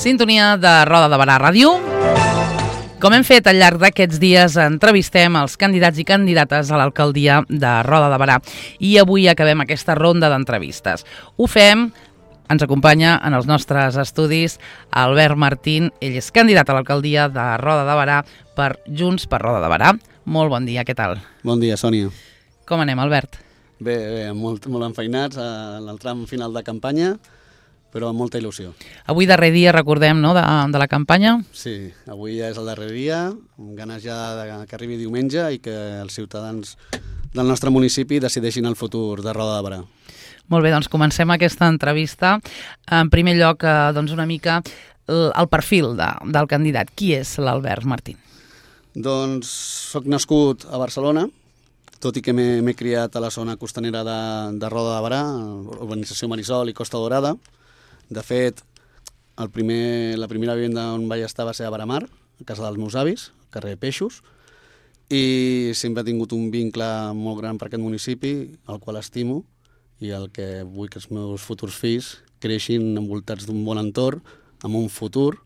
Sintonia de Roda de Barà Ràdio. Com hem fet al llarg d'aquests dies, entrevistem els candidats i candidates a l'alcaldia de Roda de Barà i avui acabem aquesta ronda d'entrevistes. Ho fem, ens acompanya en els nostres estudis Albert Martín, ell és candidat a l'alcaldia de Roda de Barà per Junts per Roda de Barà. Molt bon dia, què tal? Bon dia, Sònia. Com anem, Albert? Bé, molt enfeinats en el tram final de campanya, però amb molta il·lusió. Avui darrer dia, recordem, no?, de la campanya. Sí, avui ja és el darrer dia, amb ganes ja que arribi diumenge i que els ciutadans del nostre municipi decideixin el futur de Roda de Barà. Molt bé, doncs comencem aquesta entrevista. En primer lloc, doncs una mica el perfil del candidat. Qui és l'Albert Martín? Doncs soc nascut a Barcelona, tot i que m'he criat a la zona costanera de Roda de Barà, urbanització Marisol i Costa Dorada. De fet, la primera vivenda on vaig estar va ser a Baramar, a casa dels meus avis, al carrer Peixos, i sempre he tingut un vincle molt gran per aquest municipi, el qual estimo, i el que vull que els meus futurs fills creixin envoltats d'un bon entorn, amb un futur,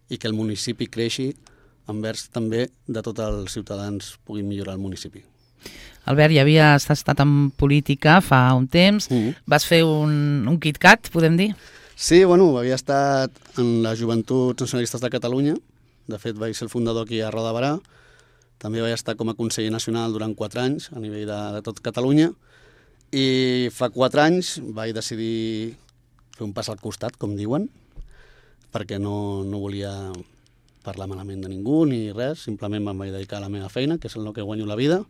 i que el municipi creixi envers també de tots els ciutadans puguin millorar el municipi. Albert, ja havies estat en política fa un temps, vas fer un KitKat, podem dir? Sí, bueno, havia estat en les Joventuts Nacionalistes de Catalunya, de fet vaig ser el fundador aquí a Roda de Barà, també vaig estar com a conseller nacional durant 4 anys a nivell de tot Catalunya, i fa 4 anys vaig decidir fer un pas al costat, com diuen, perquè no volia parlar malament de ningú ni res, simplement em vaig dedicar a la meva feina, que és el que guanyo la vida,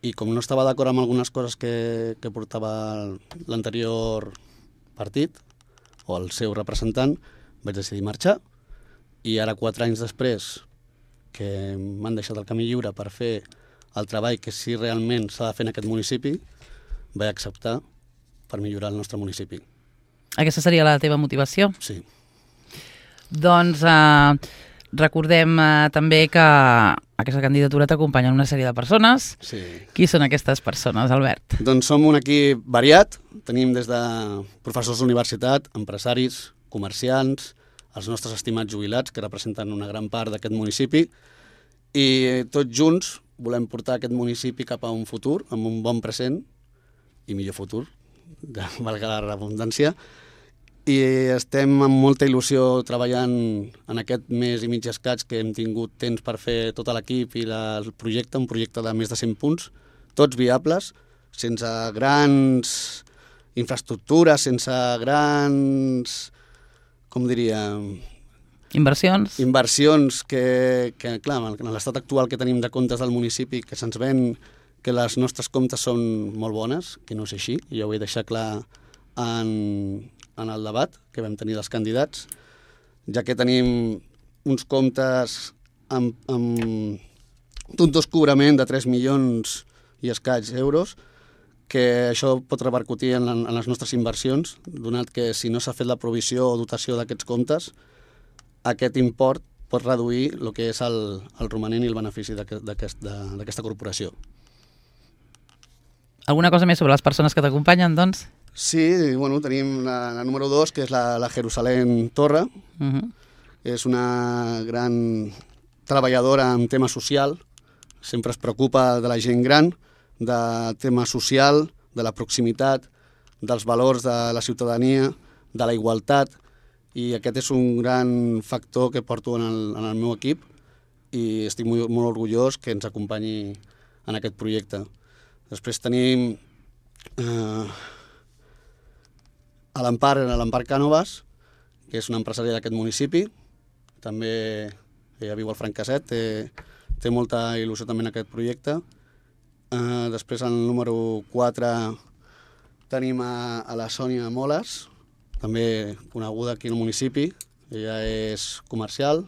i com no estava d'acord amb algunes coses que portava l'anterior partit, o el seu representant, vaig decidir marxar, i ara 4 anys després que m'han deixat el camí lliure per fer el treball que sí realment s'ha de fer en aquest municipi, vaig acceptar per millorar el nostre municipi. Aquesta seria la teva motivació? Sí. Doncs recordem també que aquesta candidatura t'acompanyen una sèrie de persones. Sí. Qui són aquestes persones, Albert? Doncs som un equip variat. Tenim des de professors d'universitat, empresaris, comerciants, els nostres estimats jubilats, que representen una gran part d'aquest municipi, i tots junts volem portar aquest municipi cap a un futur, amb un bon present i millor futur, valga la redundància, i estem amb molta il·lusió treballant en aquest mes i mig escaig que hem tingut temps per fer tot l'equip i el projecte, un projecte de més de 100 punts, tots viables, sense grans infraestructures, sense grans, com diria... Inversions que clar, en l'estat actual que tenim de comptes del municipi, que se'ns ven que les nostres comptes són molt bones, que no és així, i ja ho he deixat clar en el debat que vam tenir dels candidats, ja que tenim uns comptes amb un descobrament de 3 milions i escaig euros, que això pot repercutir en les nostres inversions, donat que si no s'ha fet la provisió o dotació d'aquests comptes, aquest import pot reduir el que és el romanent i el benefici d'aquesta corporació. Alguna cosa més sobre les persones que t'acompanyen, doncs? Sí, bueno, tenim la número 2, que és la Jerusalem Torra. És una gran treballadora en tema social, sempre es preocupa de la gent gran, del tema social, de la proximitat, dels valors de la ciutadania, de la igualtat, i aquest és un gran factor que porto en el meu equip i estic molt orgullós que ens acompanyi en aquest projecte. Després tenim a l'Empar Cànovas, que és una empresària d'aquest municipi, també ella viu al Franqueset, té molta il·lusió també en aquest projecte. Després, en el número 4, tenim a la Sònia Moles, també coneguda aquí al municipi, ella és comercial.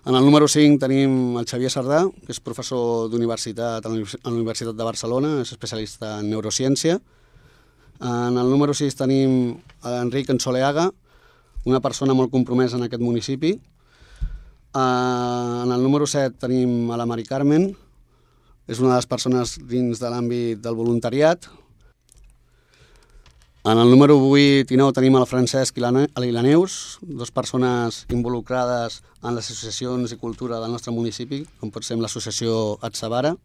En el número 5 tenim el Xavier Sardà, que és professor d'universitat a la Universitat de Barcelona, és especialista en neurociència. En el número 6 tenim l'Enric Ensoleaga, una persona molt compromesa en aquest municipi. En el número 7 tenim a la Mari Carmen, és una de les persones dins de l'àmbit del voluntariat. En el número 8 i 9 tenim el Francesc i la Neus, dues persones involucrades en les associacions i cultura del nostre municipi, com pot ser l'associació Atsabara.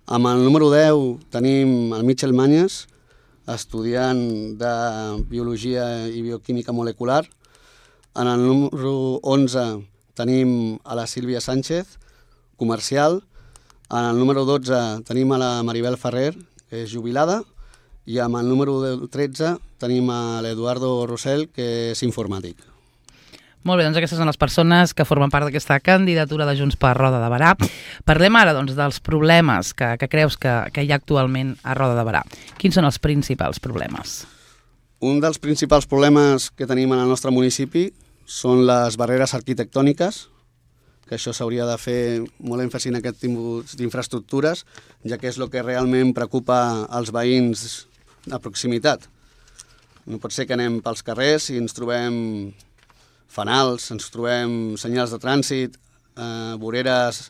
Amb el número 10 tenim el Michel Manyes, estudiant de Biologia i Bioquímica Molecular. En el número 11 tenim a la Sílvia Sánchez, comercial. En el número 12 tenim a la Maribel Ferrer, que és jubilada. I amb el número 13 tenim a l'Eduardo Rossell, que és informàtic. Molt bé, doncs aquestes són les persones que formen part d'aquesta candidatura de Junts per Roda de Berà. Parlem ara dels problemes que creus que hi ha actualment a Roda de Berà. Quins són els principals problemes? Un dels principals problemes que tenim en el nostre municipi són les barreres arquitectòniques, que això s'hauria de fer molt èmfasi en aquest tipus d'infraestructures, ja que és el que realment preocupa als veïns de proximitat. No pot ser que anem pels carrers i ens trobem fanals, ens trobem senyals de trànsit, voreres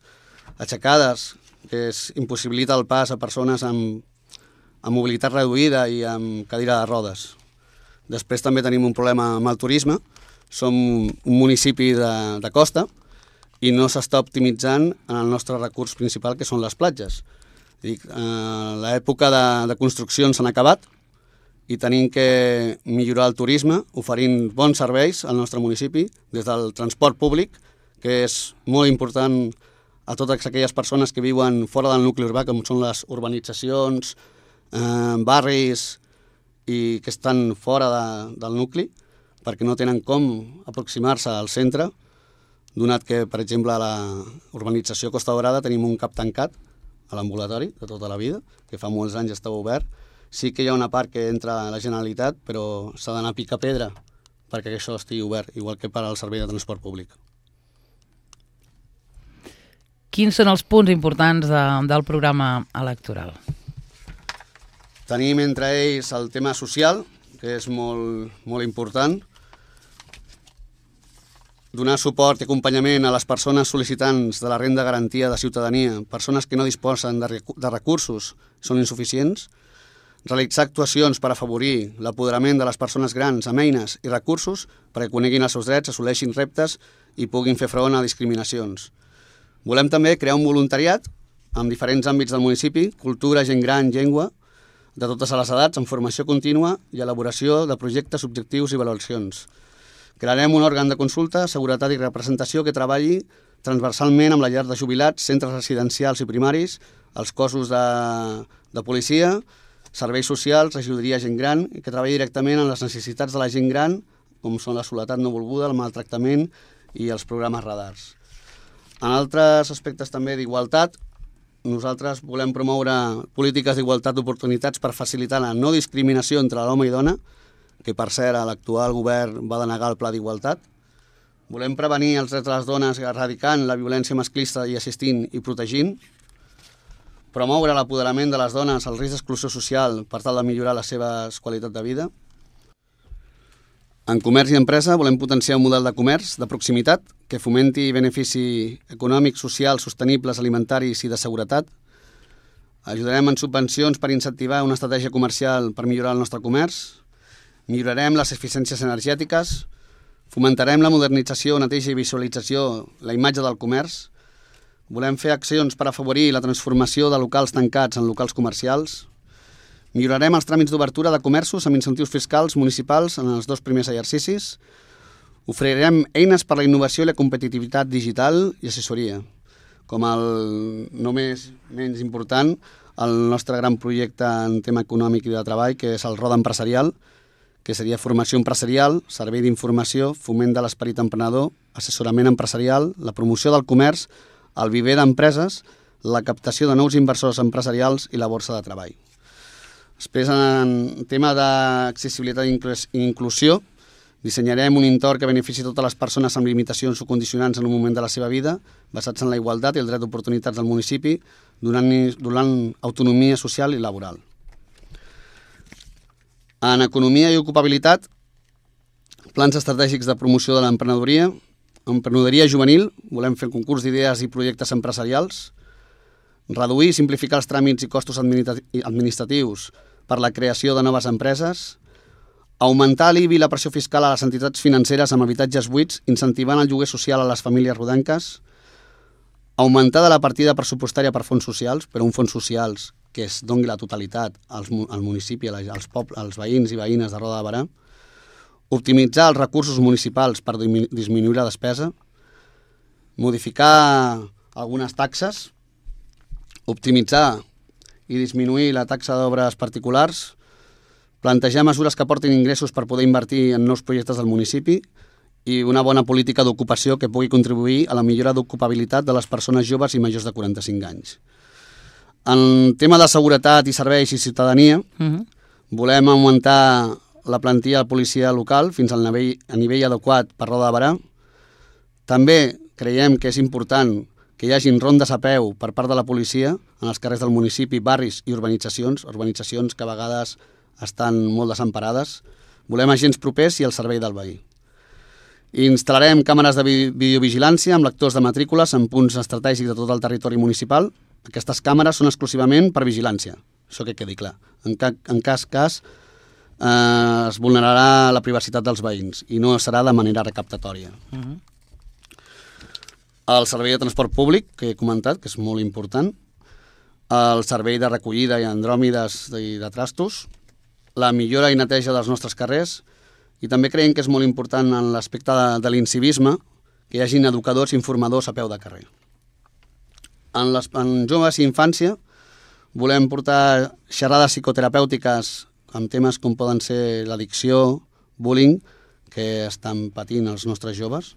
aixecades, que impossibilita el pas a persones amb mobilitat reduïda i amb cadira de rodes. Després també tenim un problema amb el turisme. Som un municipi de costa i no s'està optimitzant en el nostre recurs principal, que són les platges. L'època de construccions s'han acabat i tenim que millorar el turisme oferint bons serveis al nostre municipi, des del transport públic, que és molt important a totes aquelles persones que viuen fora del nucli urbà, com són les urbanitzacions, barris i que estan fora del nucli, perquè no tenen com aproximar-se al centre, donat que, per exemple, a la urbanització Costa Daurada tenim un cap tancat a l'ambulatori de tota la vida, que fa molts anys estava obert. Sí que hi ha una part que entra a la Generalitat, però s'ha d'anar a picar pedra perquè això estigui obert, igual que per al servei de transport públic. Quins són els punts importants del programa electoral? Tenim entre ells el tema social, que és molt important, donar suport i acompanyament a les persones sol·licitants de la renda garantia de ciutadania, persones que no disposen de recursos, són insuficients, realitzar actuacions per afavorir l'apoderament de les persones grans amb eines i recursos perquè coneguin els seus drets, assoleixin reptes i puguin fer front a discriminacions. Volem també crear un voluntariat en diferents àmbits del municipi, cultura, gent gran, llengua, de totes les edats, amb formació contínua i elaboració de projectes, objectius i valoracions. Crearem un òrgan de consulta, seguretat i representació que treballi transversalment amb la llar de jubilats, centres residencials i primaris, els cossos de policia, serveis socials, regidoria gent gran, i que treballi directament en les necessitats de la gent gran, com són la soledat no volguda, el maltractament i els programes radars. En altres aspectes també d'igualtat, nosaltres volem promoure polítiques d'igualtat d'oportunitats per facilitar la no discriminació entre l'home i dona, que per cert l'actual govern va denegar el pla d'igualtat. Volem prevenir els drets de les dones erradicant la violència masclista i assistint i protegint. Promoure l'apoderament de les dones al risc d'exclusió social per tal de millorar la seva qualitat de vida. En comerç i empresa volem potenciar un model de comerç de proximitat que fomenti benefici econòmic, social, sostenibles, alimentaris i de seguretat. Ajudarem en subvencions per incentivar una estratègia comercial per millorar el nostre comerç. Millorarem les eficiències energètiques. Fomentarem la modernització, neteja i visualització, la imatge del comerç. Volem fer accions per afavorir la transformació de locals tancats en locals comercials. Millorarem els tràmits d'obertura de comerços amb incentius fiscals municipals en els 2 primers exercicis. Oferirem eines per a la innovació i la competitivitat digital i assessoria. Com el no menys important, el nostre gran projecte en tema econòmic i de treball, que és el Roda Empresarial, que seria formació empresarial, servei d'informació, foment de l'esperit emprenedor, assessorament empresarial, la promoció del comerç, el viver d'empreses, la captació de nous inversors empresarials i la borsa de treball. Després, en tema d'accessibilitat i inclusió, dissenyarem un entorn que benefici totes les persones amb limitacions o condicionants en un moment de la seva vida, basats en la igualtat i el dret d'oportunitats del municipi, donant autonomia social i laboral. En economia i ocupabilitat, plans estratègics de promoció de l'emprenedoria, emprenedoria juvenil, volem fer concurs d'idees i projectes empresarials, reduir i simplificar els tràmits i costos administratius per la creació de noves empreses, Augmentar l'IBI i la pressió fiscal a les entitats financeres amb habitatges buits, incentivant el lloguer social a les famílies rodanques. Augmentar de la partida pressupostària per fons socials, però uns fons socials que es doni la totalitat al municipi, als veïns i veïnes de Roda de Berà. Optimitzar els recursos municipals per disminuir la despesa. Modificar algunes taxes. Optimitzar i disminuir la taxa d'obres particulars. Plantejar mesures que aportin ingressos per poder invertir en nous projectes del municipi i una bona política d'ocupació que pugui contribuir a la millora d'ocupabilitat de les persones joves i majors de 45 anys. En tema de seguretat i serveis i ciutadania, volem augmentar la plantilla de policia local fins a nivell adequat per Roda de Berà. També creiem que és important que hi hagin rondes a peu per part de la policia en els carrers del municipi, barris i urbanitzacions que a vegades estan molt desemparades. Volem agents propers i al servei del veí. Instal·larem càmeres de videovigilància amb lectors de matrícules en punts estratègics de tot el territori municipal. Aquestes càmeres són exclusivament per vigilància, això que quedi clar. En cas es vulnerarà la privacitat dels veïns i no serà de manera recaptatòria. El servei de transport públic, que he comentat, que és molt important, el servei de recollida i andròmides i de trastos, la millora i neteja dels nostres carrers, i també creiem que és molt important en l'aspecte de l'incivisme que hi hagin educadors i informadors a peu de carrer. En joves i infància volem portar xerrades psicoterapèutiques amb temes com poden ser l'addicció, bullying, que estan patint els nostres joves,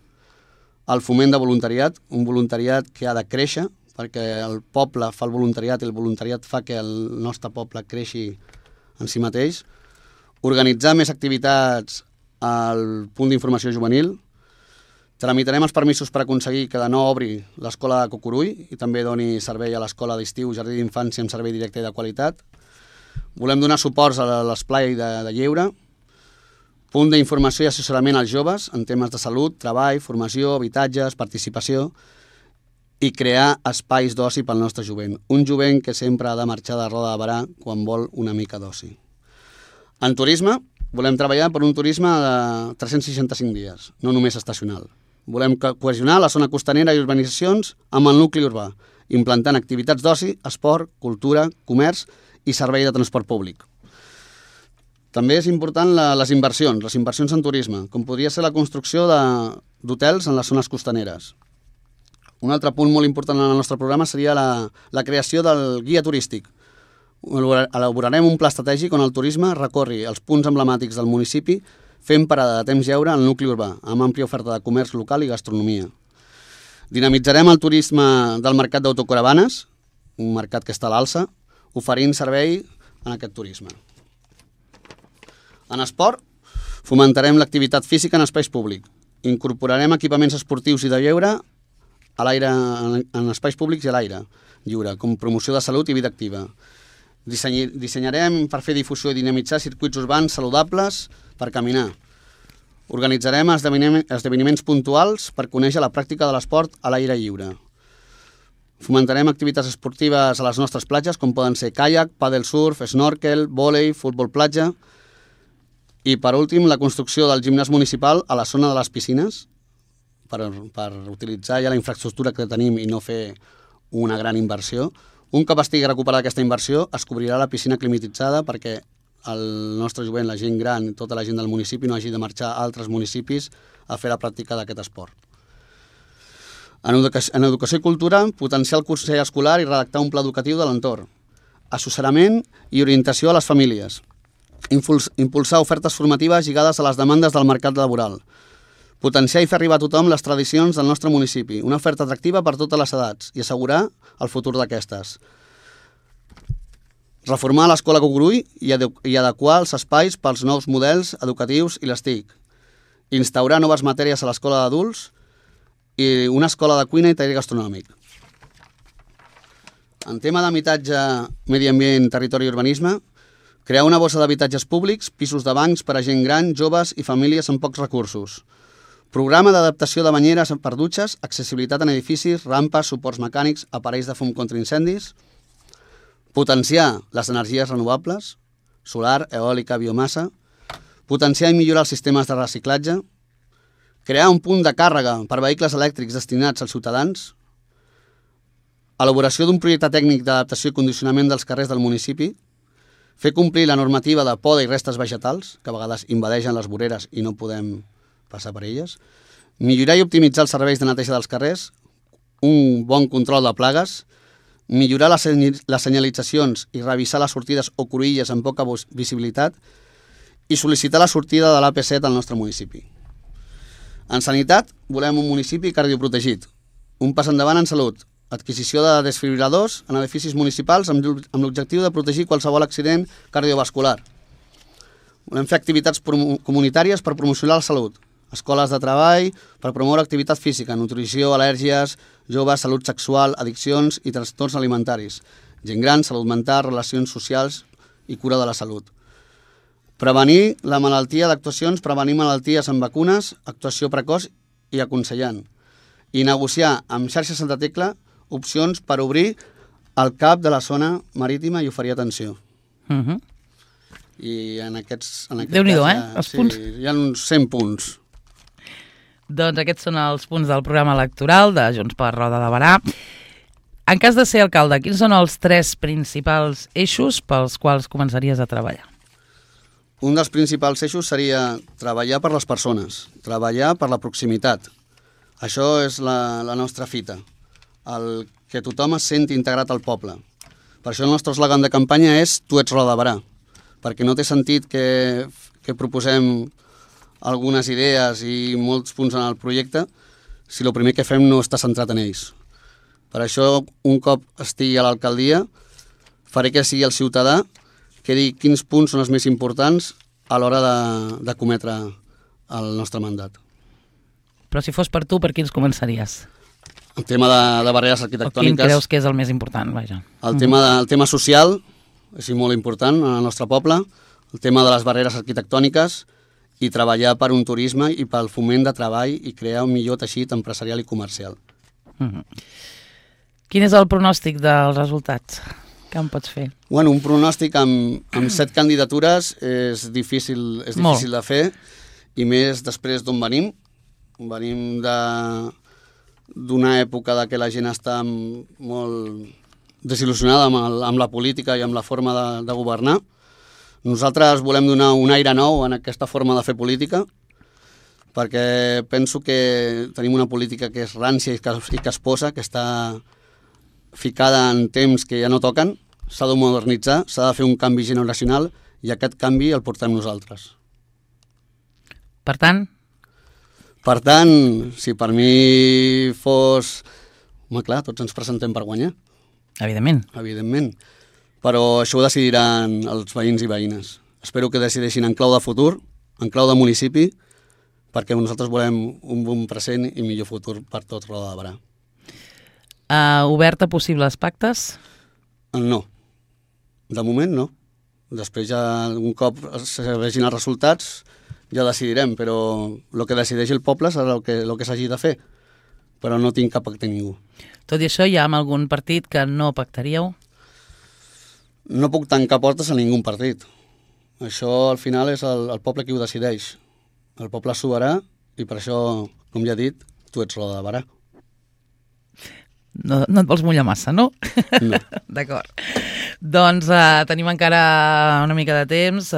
el foment de voluntariat, un voluntariat que ha de créixer, perquè el poble fa el voluntariat i el voluntariat fa que el nostre poble creixi en si mateix, organitzar més activitats al punt d'informació juvenil, tramitarem els permisos per aconseguir que de nou obri l'escola de Cucurull i també doni servei a l'escola d'estiu Jardí d'Infància amb servei directe i de qualitat. Volem donar suports a l'esplai de lleure, punt d'informació i assessorament als joves en temes de salut, treball, formació, habitatges, participació i crear espais d'oci pel nostre jovent. Un jovent que sempre ha de marxar de Roda de Berà quan vol una mica d'oci. En turisme, volem treballar per un turisme de 365 dies, no només estacional. Volem cohesionar la zona costanera i urbanitzacions amb el nucli urbà, implantant activitats d'oci, esport, cultura, comerç i servei de transport públic. També és important les inversions en turisme, com podria ser la construcció d'hotels en les zones costaneres. Un altre punt molt important en el nostre programa seria la creació del guia turístic. Elaborarem un pla estratègic on el turisme recorri els punts emblemàtics del municipi fent parada de temps lleure al nucli urbà, amb àmplia oferta de comerç local i gastronomia. Dinamitzarem el turisme del mercat d'autocaravanes, un mercat que està a l'alça, oferint servei en aquest turisme. En esport, fomentarem l'activitat física en espais públics. Incorporarem equipaments esportius i de lleure a l'aire, en espais públics i a l'aire lliure, com promoció de salut i vida activa. Dissenyarem per fer difusió i dinamitzar circuits urbans saludables per caminar. Organitzarem esdeveniments puntuals per conèixer la pràctica de l'esport a l'aire lliure. Fomentarem activitats esportives a les nostres platges, com poden ser caiac, pàdel surf, snorkel, vòlei, futbol platja. I, per últim, la construcció del gimnàs municipal a la zona de les piscines per utilitzar ja la infraestructura que tenim i no fer una gran inversió. Un cop estigui recuperada aquesta inversió, es cobrirà la piscina climatitzada perquè el nostre jovent, la gent gran i tota la gent del municipi no hagi de marxar a altres municipis a fer la pràctica d'aquest esport. En educació i cultura, potenciar el consell escolar i redactar un pla educatiu de l'entorn. Assessorament i orientació a les famílies. Impulsar ofertes formatives lligades a les demandes del mercat laboral. Potenciar i fer arribar a tothom les tradicions del nostre municipi, una oferta atractiva per totes les edats i assegurar el futur d'aquestes. Reformar l'escola Cucurull i adequar els espais pels nous models educatius i les TIC. Instaurar noves matèries a l'escola d'adults i una escola de cuina i taller gastronòmic. En tema d'habitatge, medi ambient, territori i urbanisme, crear una bossa d'habitatges públics, pisos de bancs per a gent gran, joves i famílies amb pocs recursos. Programa d'adaptació de banyeres per dutxes, accessibilitat en edificis, rampes, suports mecànics, aparells de fum contra incendis. Potenciar les energies renovables, solar, eòlica, biomassa. potenciar i millorar els sistemes de reciclatge, crear un punt de càrrega per vehicles elèctrics destinats als ciutadans, elaboració d'un projecte tècnic d'adaptació i condicionament dels carrers del municipi, fer complir la normativa de poda i restes vegetals, que a vegades invadeixen les voreres i no podem passar per elles, millorar i optimitzar els serveis de neteja dels carrers, un bon control de plagues, millorar les senyalitzacions i revisar les sortides o cruïlles amb poca visibilitat i sol·licitar la sortida de l'AP7 al nostre municipi. En sanitat, volem un municipi cardioprotegit, un pas endavant en salut, adquisició de desfibriladors en edificis municipals amb l'objectiu de protegir qualsevol accident cardiovascular. Volem fer activitats comunitàries per promocionar la salut, escoles de treball per promoure activitat física, nutrició, al·lèrgies, joves, salut sexual, addiccions i trastorns alimentaris, gent gran, salut mental, relacions socials i cura de la salut. Prevenir la malaltia d'actuacions, prevenir malalties amb vacunes, actuació precoç i aconsellant. I negociar amb Xarxa Santa Tecla opcions per obrir el CAP de la zona marítima i oferir atenció. I en aquest Déu-n'hi-do, els punts. Sí, hi ha uns 100 punts. Doncs aquests són els punts del programa electoral de Junts per Roda de Berà. En cas de ser alcalde, quins són els 3 principals eixos pels quals començaries a treballar? Un dels principals eixos seria treballar per les persones, treballar per la proximitat. Això és la nostra fita, el que tothom es senti integrat al poble. Per això el nostre eslògan de campanya és Tu ets Roda de Berà, perquè no té sentit que proposem algunes idees i molts punts en el projecte si el primer que fem no està centrat en ells. Per això, un cop estigui a l'alcaldia, faré que sigui el ciutadà que digui quins punts són els més importants a l'hora de cometre el nostre mandat. Però si fos per tu, per quins començaries? El tema de barreres arquitectòniques... O quin creus que és el més important? Vaja. El tema social és molt important en el nostre poble, el tema de les barreres arquitectòniques i treballar per un turisme i pel foment de treball i crear un millor teixit empresarial i comercial. Quin és el pronòstic dels resultats? Què em pots fer? Bueno, un pronòstic amb 7 candidatures és difícil de fer, i més després d'on venim. Venim d'una època de que la gent està molt desil·lusionada amb la política i amb la forma de governar. Nosaltres volem donar un aire nou en aquesta forma de fer política, perquè penso que tenim una política que és rància i que es posa, que està ficada en temps que ja no toquen, s'ha de modernitzar, s'ha de fer un canvi generacional i aquest canvi el portem nosaltres. Per tant, si per mi fos... Home, clar, tots ens presentem per guanyar. Evidentment. Però això ho decidiran els veïns i veïnes. Espero que decideixin en clau de futur, en clau de municipi, perquè nosaltres volem un bon present i millor futur per tot Roda de Berà. Obert a possibles pactes? No. De moment no. Després ja un cop se vegin els resultats ja decidirem, però el que decideix el poble serà el que s'hagi de fer. Però no tinc cap pacte a ningú. Tot i això, hi ha algun partit que no pactaríeu? No puc tancar portes a ningú partit. Això al final és el poble qui ho decideix. El poble és soberà i per això, com ja he dit, tu ets Roda de Berà. No et vols mullar massa, no? No. D'acord. Doncs tenim encara una mica de temps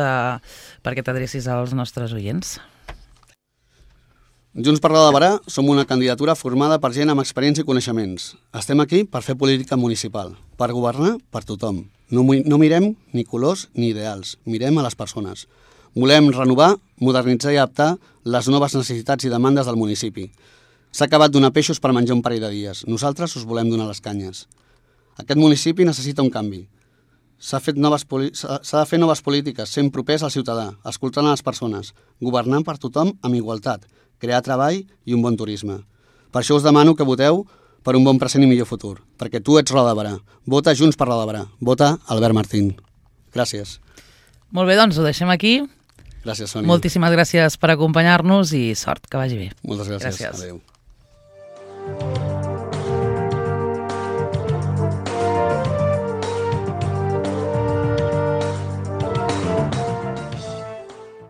perquè t'adrecis als nostres oients. Junts per Roda de Berà som una candidatura formada per gent amb experiència i coneixements. Estem aquí per fer política municipal, per governar per tothom. No mirem ni colors ni ideals, mirem a les persones. Volem renovar, modernitzar i adaptar les noves necessitats i demandes del municipi. S'ha acabat donar peixos per menjar un parell de dies. Nosaltres us volem donar les canyes. Aquest municipi necessita un canvi. S'ha de fer noves polítiques, sent propers al ciutadà, escoltant a les persones, governant per tothom amb igualtat, crear treball i un bon turisme. Per això us demano que voteu per un bon present i millor futur, perquè tu ets Roda de Berà. Vota Junts per Roda de Berà. Vota Albert Martín. Gràcies. Molt bé, doncs ho deixem aquí. Gràcies, Sònia. Moltíssimes gràcies per acompanyar-nos i sort, que vagi bé. Moltes gràcies. Adéu.